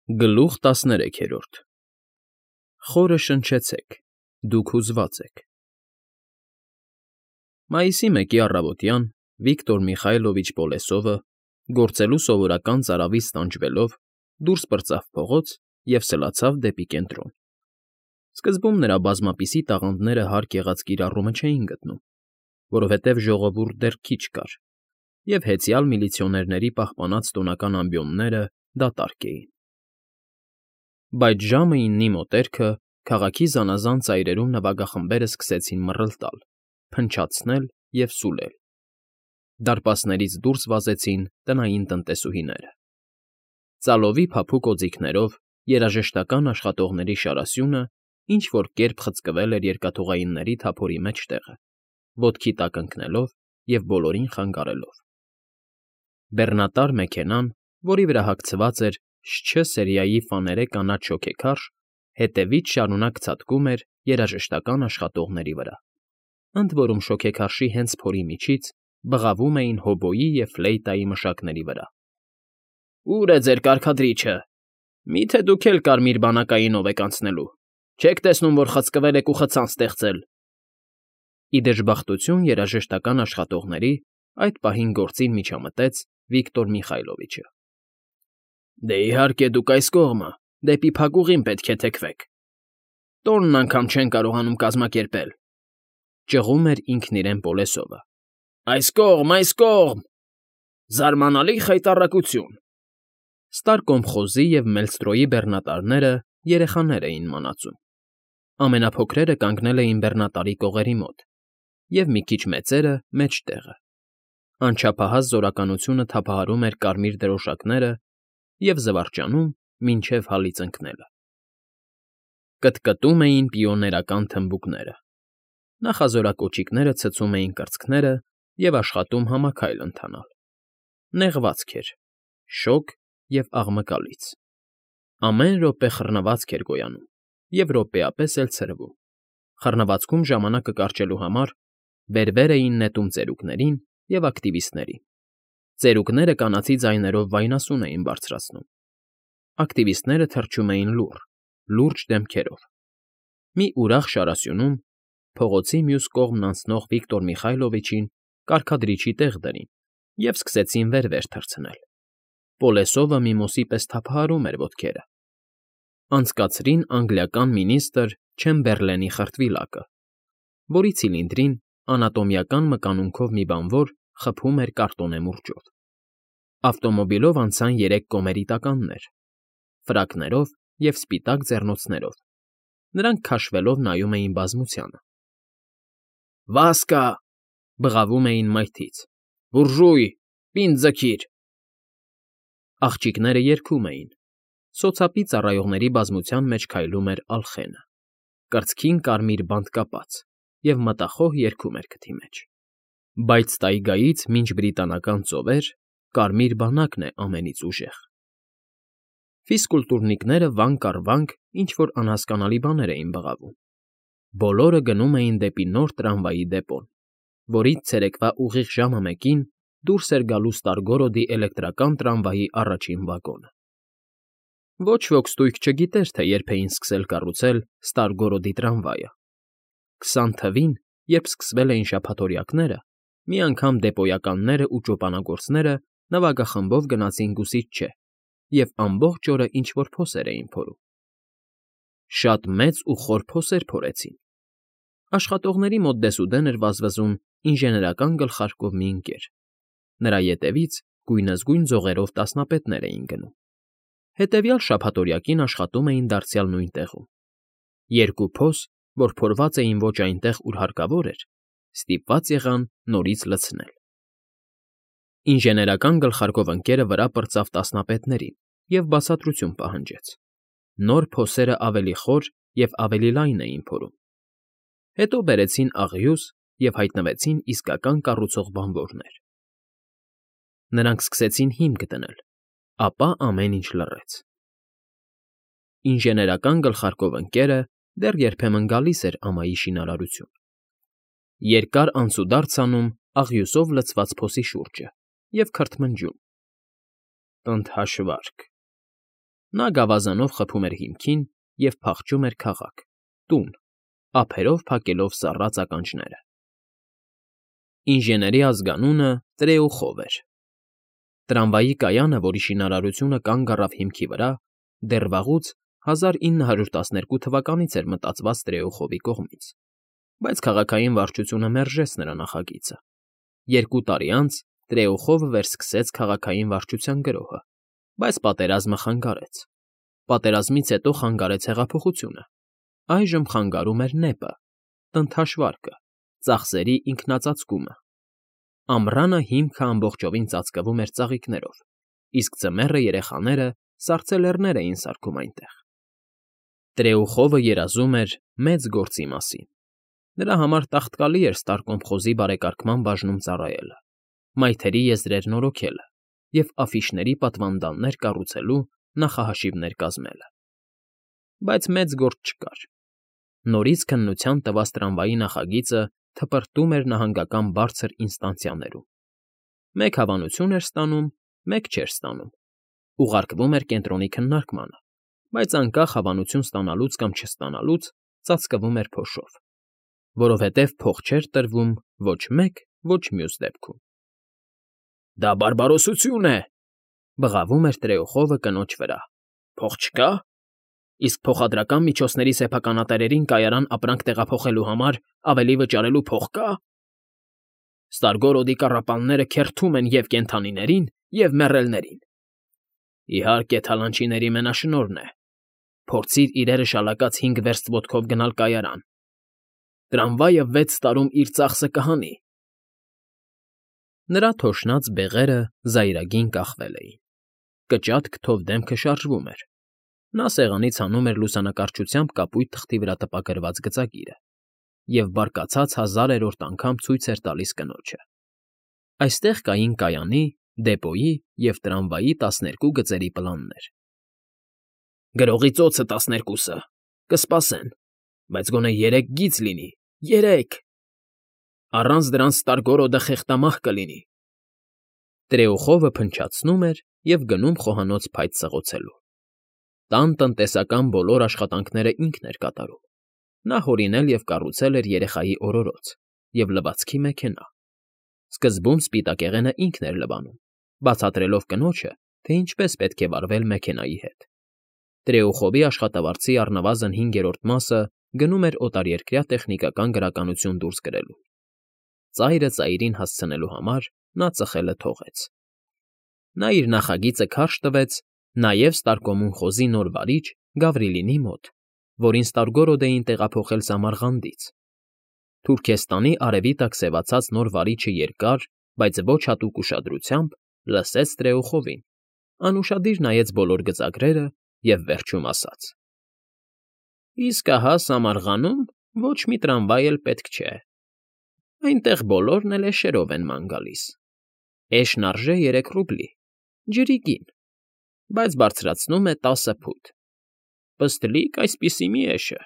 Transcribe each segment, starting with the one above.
Գլուխ 13 Խորը շնչեցեք, դուք հուզված եք։ Մայիսի 1-ի առավոտյան Վիկտոր Միխայլովիչ Պոլեսովը, գործելու սովորական ծարավից տանջվելով, դուրս պրծավ փողոց և սլացավ դեպի կենտրոն։ Սկզբում նրա բազմապիսի տաղանդները հարկ եղած կիրառումը չէին գտնում, որովհետև ժողովուրդ դեռ քիչ կար, և հեծյալ միլիցիոներների պահպանած տոնական ամբիոնները դատարկ էին։ Բայց ժամը 9-ի մոտերքը քաղաքի զանազան ծայրերում նվագախմբերը սկսեցին մռլտալ, փնչացնել և սուլել։ Դարպասներից դուրս վազեցին տնային տնտեսուհիները։ Ծալովի փափուկ օձիքներով երաժշտական աշխատողների շարասյունը ինչ֊որ կերպ խցկվել էր երկաթուղայինների թափորի մեջտեղը, ոտքի տակ ընկնելով և բոլորին խանգարելով։ Բեռնատար մեքենան, որի վրա հագցված էր «Շչ» սերիայի ֆաներե կանաչ շոգեքարշ, հետևից շարունակ ցատկում էր երաժշտական աշխատողների վրա, ընդ որում շոգեքարշի հենց փորի միջից բղավում էին հոբոյի և ֆլեյտայի մշակների վրա։ «Ո՞ւր է ձեր կարգադրիչը, մի՞թե դուք էլ կարմիր բանակայինով եք անցնելու, չեք տեսնում, որ խցկվել եք ու խցան ստեղծել»։ Ի դժբախտություն երաժշտական աշխատողների այդ պահին գործին միջամտեց Վիկտոր Միխայլովիչը։ «Դե, իհարկե, դուք այս կողմը, դեպի փակուղին պետք է թեքվեք, տոնն անգամ չեն կարողանում կազմակերպել», ճղում էր ինքն իրեն Պոլեսովը։ «Այս կողմ, այս կողմ… Զարմանալի խայտառակություն»։ Ստարկոմխոզի և Մելստրոյի բեռնատարները երեխաներ էին մանածում։ Ամենափոքրերը կանգնել էին բեռնատարի կողերի մոտ, և մի քիչ մեծերը՝ մեջտեղը։ Անչափահաս զորականությունը թափահարում էր կարմիր դրոշակները և զվարճանում մինչև հալից ընկնելը։ Կտկտում էին պիոներական թմբուկները։ Նախազորակոճիկները ցցում էին կրծքները և աշխատում համաքայլ ընթանալ։ Նեղվածք էր, շոգ և աղմկալից։ Ամեն րոպե խռնվածք էր գոյանում և րոպեապես էլ ցրվում։ Խռնվածքում ժամանակը կարճելու համար վերևեր էին նետում ծերուկներին և ակտիվիստներին։ Ծերուկները կանացի ձայներով վայնասուն էին բարձրացնում։ Ակտիվիստները թռչում էին լուռ, լուրջ դեմքերով։ Մի ուրախ շարասյունում փողոցի մյուս կողմն անցնող Վիկտոր Միխայլովիչին կարգադրիչի տեղ դրին և սկսեցին վեր֊վեր թռցնել։ Պոլեսովը միմոսի պես թափահարում էր ոտքերը։ Անցկացրին անգլիական մինիստր Չեմբերլենի խրտվիլակը, որի ցիլինդրին անատոմիական մկանունքով մի բանվոր խփում էր կարտոնե մուրճով։ Ավտոմոբիլով անցան 3 կոմերիտականներ՝ ֆրակներով և սպիտակ ձեռնոցներով։ Նրանք քաշվելով նայում էին բազմությանը։ «Վասկա!» բղավում էին մայթից։ «Բուրժույ, պինդ ձգիր»։ Աղջիկները երգում էին։ Սոցապի ծառայողների բազմության մեջ քայլում էր Ալխենը, կրծքին կարմիր բանտ կապած, և մտախոհ երգում էր քթի մեջ։ Բայց տայգայից մինչ բրիտանական ծովեր կարմիր բանակն է ամենից ուժեղ։ Ֆիզկուլտուրնիկները վանք առ վանք ինչ֊որ անհասկանալի բաներ էին բղավում։ Բոլորը գնում էին դեպի նոր տրամվայի դեպոն, որից ցերեկվա ուղիղ ժամը 1-ին դուրս էր գալու Ստարգորոդի էլեկտրական տրամվայի առաջին վագոնը։ Ոչ ոք ստույգ չգիտեր, թե երբ էին սկսել կառուցել Ստարգորոդի տրամվայը։ 20 թվին, երբ սկսվել էին շաբաթօրյակները, մի անգամ դեպոյականներն ու ճոպանագործները նվագախմբով գնացին Գուսիչչե և ամբողջ օրը ինչ֊որ փոսեր էին փորում։ Շատ մեծ ու խոր փոսեր փորեցին։ Աշխատողների մոտ դեսուդեն էր վազվզում ինժեներական գլխարկով մի ընկեր։ Նրա ետևից գույնզգույն ձողերով տասնապետներ էին գնում։ Հետևյալ շաբաթօրյակին աշխատում էին դարձյալ նույն տեղում։ 2 փոս, որ փորված էին ոչ այնտեղ, ուր հարկավոր էր, ստիպված եղան նորից լցնել։ Ինժեներական գլխարկով ընկերը վրա պրծավ տասնապետներին և բացատրություն պահանջեց։ Նոր փոսերը ավելի խոր և ավելի լայն էին փորում։ Հետո բերեցին աղյուս և հայտնվեցին իսկական կառուցող բանվորներ։ Նրանք սկսեցին հիմք դնել, ապա ամեն ինչ լռեց։ Ինժեներական գլխարկով ընկերը դեռ երբեմն գալիս էր ամայի շինարարություն։ Երկար անցուդարձ անում աղյուսով լցված փոսի շուրջը և քրթմնջում. «Ընդ հաշվարկ, Նա գավազանով խփում էր հիմքին և փախչում էր քաղաք, տուն, ափերով փակելով սառած ականջները։ Ինժեների ազգանունը Տրեուխով էր։ Տրամվայի կայանը, որի շինարարությունը կանգ առավ հիմքի վրա, դեռ վաղուց 1912 թվականից էր մտածված Տրեուխովի կողմից, բայց քաղաքային վարչությունը մերժեց նրա նախագիծը։ 2 տարի անց Տրեուխովը վերսկսեց քաղաքային վարչության գրոհը, բայց պատերազմը խանգարեց։ Պատերազմից հետո խանգարեց հեղափոխությունը։ Այժմ խանգարում էր նեպը, տնտաշվարկը, ծախսերի ինքնածածկումը։ Ամռանը հիմքը ամբողջովին ծածկվում էր ծաղիկներով, իսկ ձմեռը երեխաները սառցելեռներ էին սարքում այնտեղ։ Տրեուխովը երազում էր մեծ գործի մասին։ Նրա համար տաղտկալի էր Ստարկոմխոզի բարեկարգման բաժնում ծառայելը, մայթերի եզրեր նորոգելը և աֆիշների պատվանդաններ կառուցելու նախահաշիվներ կազմելը։ Բայց մեծ գործ չկար։ Նորից քննության տված տրամվայի նախագիծը թպրտում էր նահանգական բարձր ինստանցիաներում։ Մեկ հավանություն էր ստանում, մեկ չէր ստանում։ Ուղարկվում էր կենտրոնի քննարկմանը, բայց անկախ հավանություն ստանալուց կամ չստանալուց ծածկվում էր փոշով, որովհետև փող չէր տրվում ոչ մեկ, ոչ մյուս դեպքում։ «Դա բարբարոսություն է,֊ բղավում էր Տրեուխովը կնոջ վրա։֊ Փող չկա՞։ Իսկ փոխադրական միջոցների սեփականատերերին կայարան ապրանք տեղափոխելու համար ավելի վճարելու փող կա՞։ Ստարգորոդի կառապանները քերթում են և կենդանիներին, և մեռելներին։ Իհարկե, թալանչիների մենաշնորհն է։ Փորձիր իրերը շալակած 5 վերստ ոտքով գնալ կայարան։ Տրամվայը 6 տարում իր ծախսը կհանի։ Նրա թոշնած բեղերը զայրագին կախվել էին։ Կճատ քթով դեմքը շարժվում էր։ Նա սեղանից հանում էր լուսանկարչությամբ կապույտ թղթի վրա տպագրված գծագիրը և բարկացած 1000-րդ անգամ ցույց էր տալիս կնոջը։ Այստեղ կային կայանի, դեպոյի և տրամվայի 12 գծերի պլաններ։ Գրողի ծոցը 12-ը կսպասեն, բայց գոնե 3 գիծ լինի, 3… Առանց դրանց Ստարգորոդը խեղդամահ կլինի։ Տրեուխովը փնչացնում էր և գնում խոհանոց փայտ սղոցելու։ Տան տնտեսական բոլոր աշխատանքները ինքն էր կատարում։ Նա հորինել և կառուցել էր երեխայի օրորոց և լվացքի մեքենա։ Սկզբում սպիտակեղենը ինքն էր լվանում, բացատրելով կնոջը, թե ինչպես պետք է վարվել մեքենայի հետ։ Տրեուխովի աշխատավարձի առնվազն 5-րդ մասը գնում էր օտարերկրյա տեխնիկական գրականություն դուրս գրելու։ Ծայրը ծայրին հասցնելու համար նա ծխելը թողեց։ Նա իր նախագիծը քարշ տվեց նաև Ստարկոմունխոզի նոր վարիչ Գավրիլինի մոտ, որին Ստարգորոդ էին տեղափոխել Սամարղանդից։ Թուրքեստանի արևի տակ սևացած նոր վարիչը երկար, բայց ոչ հատուկ ուշադրությամբ լսեց Տրեուխովին, անուշադիր նայեց բոլոր գծագրերը և վերջում ասաց. Իսկ ահա Սամարղանում ոչ մի տրամվայ էլ պետք չէ։ Այնտեղ բոլորն էլ էշերով են ման գալիս։ Էշն արժե 3 ռուբլի, ջրի գին, բայց բարձրացնում է 10 փութ։ Պստլիկ այսպիսի մի էշը,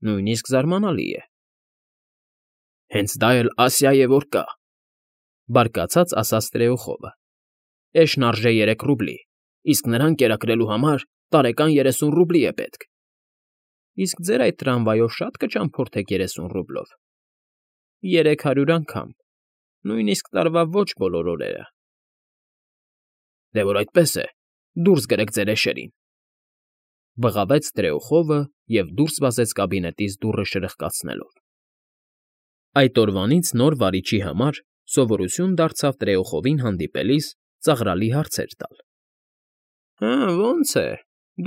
նույնիսկ զարմանալի է։ Հենց դա էլ Ասիա է որ կա,֊ բարկացած ասաց Տրեուխովը։ Էշն արժե 3 ռուբլի, իսկ նրան կերակրելու համար տարեկան 30 ռուբլի է պետք։ Իսկ ձեր այդ տրամվայով շատ կճամփորդեք 30 ռուբլով։ 300 անգամ, նույնիսկ տարվա ոչ բոլոր օրերը։ Դե որ այդպես է, դուրս գրեք ձեր էշերին,֊ բղավեց Տրեուխովը և դուրս վազեց կաբինետից դուռը շրխկացնելով։ Այդ օրվանից նոր վարիչի համար սովորություն դարձավ Տրեուխովին հանդիպելիս ծաղրալի հարցեր տալ։ Հը, ո՞նց է,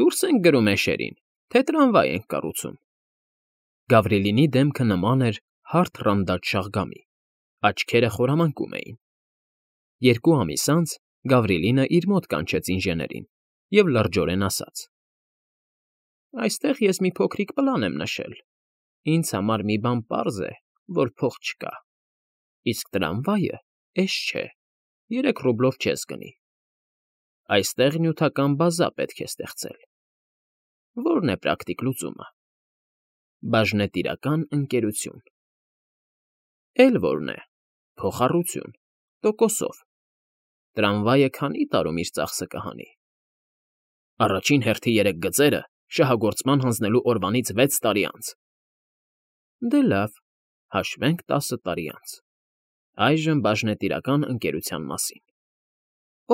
դուրս ենք գրում էշերին, թե տրամվայ ենք կառուցում։ Գավրիլինի դեմքը նման էր հարթ ռանդաճ շաղգամի, աչքերը խորամանկում էին։ 2 ամիս անց Գավրիլինը իր մոտ կանչեց ինժեներին և լրջորեն ասաց. Այստեղ ես մի փոքրիկ պլան եմ նշել։ Ինձ համար մի բան պարզ է, որ փող չկա։ Իսկ տրամվայը էշ չէ, 3 ռուբլով չես գնի։ Այստեղ նյութական բազա պետք է ստեղծել։ Ո՞րն է պրակտիկ լուծումը։ Բաժնետիրական ընկերություն։ Էլ ո՞րն է։ Փոխառություն, տոկոսով։ Տրամվայը քանի՞ տարում իր ծախսը կհանի։ Առաջին հերթի 3 գծերը շահագործման հանձնելու օրվանից 6 տարի անց։ Դե լավ, հաշվենք 10 տարի անց։ Այժմ բաժնետիրական ընկերության մասին։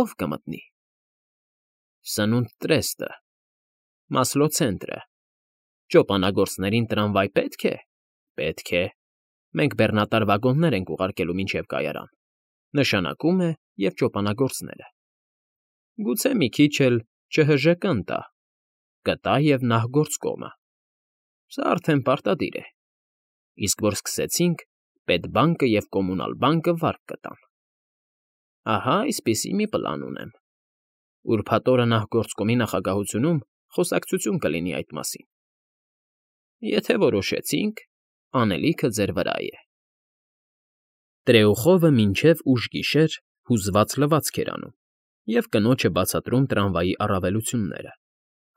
Ո՞վ կմտնի։ Սնունդ տրեստը, Մասլո ցենտրը, ճոպանագործներին տրամվայ պետք է։ Պետք է։ Մենք բեռնատար վագոններ ենք ուղարկելու մինչև կայարան։ Նշանակում է և ճոպանագործները։ Գուցե մի քիչ էլ ՉՀԺԿ-ն տա, կտա և նախգործկոմը։ Սա արդեն պարտադիր է։ Իսկ որ սկսեցինք, պետբանկը և կոմունալ բանկը վարկ կտան։ Ահա այսպիսի մի պլան ունեմ։ Ուրբաթ օրը նախգործկոմի նախագահությունում խոսակցություն կլինի այդ մասին։ Եթե որոշեցինք, անելիքը ձեր վրա է։ Տրեուխովը մինչև ուշ գիշեր հուզված լվացք էր անում և կնոջը բացատրում տրամվայի առավելությունները,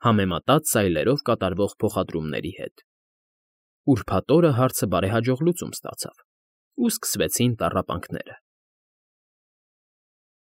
համեմատած սայլերով կատարվող փոխադրումների հետ։ Ուրբաթ օրը հարցը բարեհաջող լուծում ստացավ, ու սկսվեցին տառապանքները։